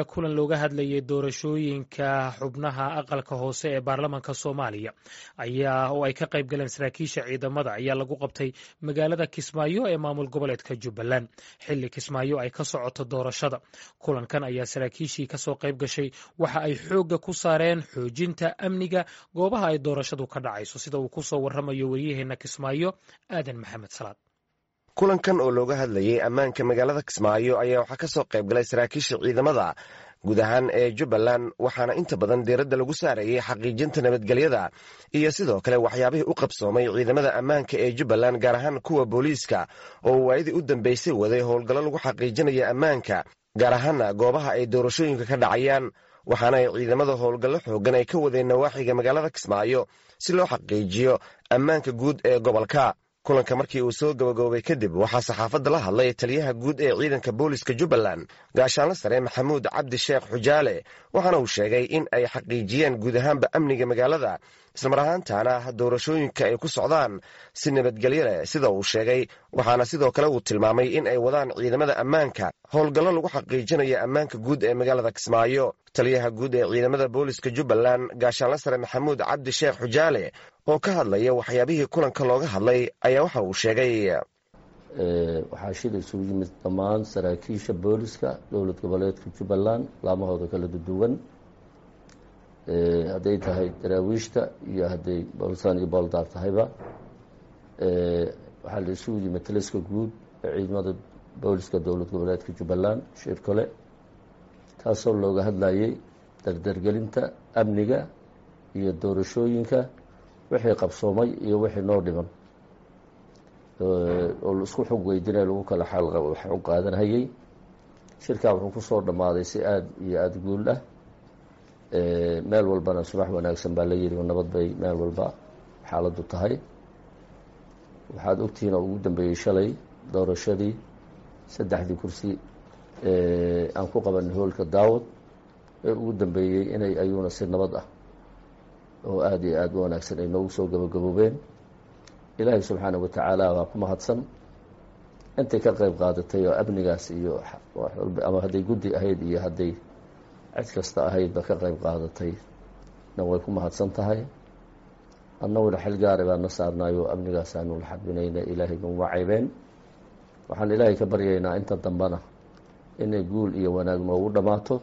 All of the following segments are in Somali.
Kulan looga hadlayay doorashooyinka xubnaha aqalka hoose ee baarlamaanka Soomaaliya ayaa oo ay ka qayb galeen saraakiisha ciidamada ayaa lagu qabtay magaalada Kismaayo ee maamul goboleedka Jubbaland, xilli Kismaayo ay ka socoto doorashada. Kulankan ayaa saraakiishii kasoo qayb gashay waxa ay xoogga ku saareen xoojinta amniga goobaha ay doorashadu ka dhacayso, sida uu kusoo waramayo waryaheena Kismaayo, Aadan Maxamed Salaad. Kulankan oo looga hadlayay ammaanka magaalada Kismaayo ayaa waxaa ka soo qayb galay saraakiisha ciidamada guud ahaan ee Jubbaland, waxaana inta badan diiradda lagu saarayay xaqiijinta nabadgelyada iyo sidoo kale waxyaabihii u qabsoomay ciidamada ammaanka ee Jubbaland, gaar ahaan kuwa booliiska oo waayadii u dambeysay waday howlgallo lagu xaqiijinaya ammaanka, gaar ahaana goobaha ay doorashooyinka ka dhacayaan. Waxaana ay ciidamada howlgallo xooggan ay ka wadeen nawaaxiga magaalada Kismaayo si loo xaqiijiyo ammaanka guud ee gobolka. Kulanka markii uu soo gabagaboobay kadib, waxaa saxaafadda la hadlay taliyaha guud ee ciidanka booliska Jubbaland, gaashaanle sare Maxamuud Cabdi Sheekh Xujaale, waxaana uu sheegay in ay xaqiijiyeen guud ahaanba amniga magaalada, islamar ahaantaana doorashooyinka ay ku socdaan si nabadgelyo leh sida uu sheegay. Waxaana sidoo kale uu tilmaamay in ay wadaan ciidamada ammaanka howlgallo lagu xaqiijinayo ammaanka guud ee magaalada Kismaayo. Taliyaha guud ee ciidamada booliska Jubbaland, gaashaanle sare Maxamuud Cabdi Sheekh Xujaale, oo ka hadlaya waxyaabihii kulanka looga hadlay ayaa waxa uu sheegay: Waxaa shil isugu yimid dhammaan saraakiisha booliska dowlad goboleedka Jubbaland laamahooda kala duwan, hadday tahay daraawiishta iyo hadday boolsaan iyo booldaar tahayba. Waxaa la isugu yimid taliska guud ee ciidamada booliska dowlad goboleedka Jubbaland shir kale, taasoo looga hadlayay dardargelinta amniga iyo doorashooyinka, wixii qabsoomay iyo wixii noo dhiman oo la isku xog weydinay, lagu kala xog qaadanhayay. Shirkaa wuxuu kusoo dhammaaday si aada iyo aada guul ah. Meel walbana subax wanaagsan baa la yidhi, nabad bay meel walba xaaladdu tahay. Waxaad ogtihiin oo ugu dambeeyey shalay doorashadii saddexdii kursi aan ku qabanay hoolka Daawad ee ugu dambeeyey inay ayuuna si nabad ah oo aada iyo aada u wanaagsan ay noogu soo gabagaboobeen. Ilaahay subxaana wa tacaala waa ku mahadsan intay ka qayb qaadatay oo amnigaas iyo ama hadday guddi ahayd iyo hadday cid kasta ahaydba ka qayb qaadatay na way ku mahadsan tahay. Annaguna xil gaara baan na saarnaay oo amnigaasaanu la xadbinayna, Ilaahay naguma caybeen. Waxaan Ilaahay ka baryaynaa inta dambena inay guul iyo wanaag noogu dhammaato,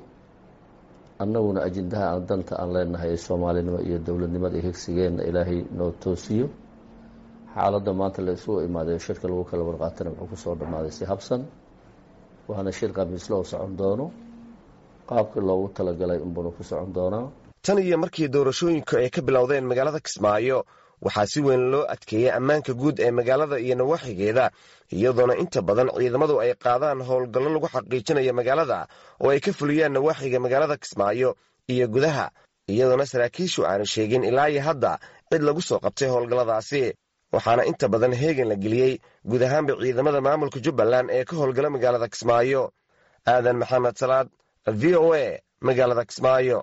annaguna ajindaha aan danta aan leenahay ee soomaalinimo iyo dowladnimada iyo higsigeenna Ilaahay noo toosiyo. Xaaladda maanta la isugu imaaday shirka lagu kala warqaatana wuxuu kusoo dhammaaday si habsan, waana shir khamiisle oo socon doono qaabkii loogu talagalay unbuna ku socon doonaa. Tan iyo markii doorashooyinku ay ka bilowdeen magaalada Kismaayo, waxaa si weyn loo adkeeyey ammaanka guud ee magaalada iyo nawaaxigeeda, iyadoona inta badan ciidamadu ay qaadaan howlgallo lagu xaqiijinayo magaalada oo ay ka fuliyaan nawaaxiga magaalada Kismaayo iyo gudaha, iyadoona saraakiishu aanu sheegin ilaa iyo hadda cid lagu soo qabtay howlgalladaasi. Waxaana inta badan heegan la geliyey guud ahaanba ciidamada maamulka Jubbaland ee ka howlgala magaalada Kismaayo. Aadan Maxamed Salaad, V O A, magaalada Kismaayo.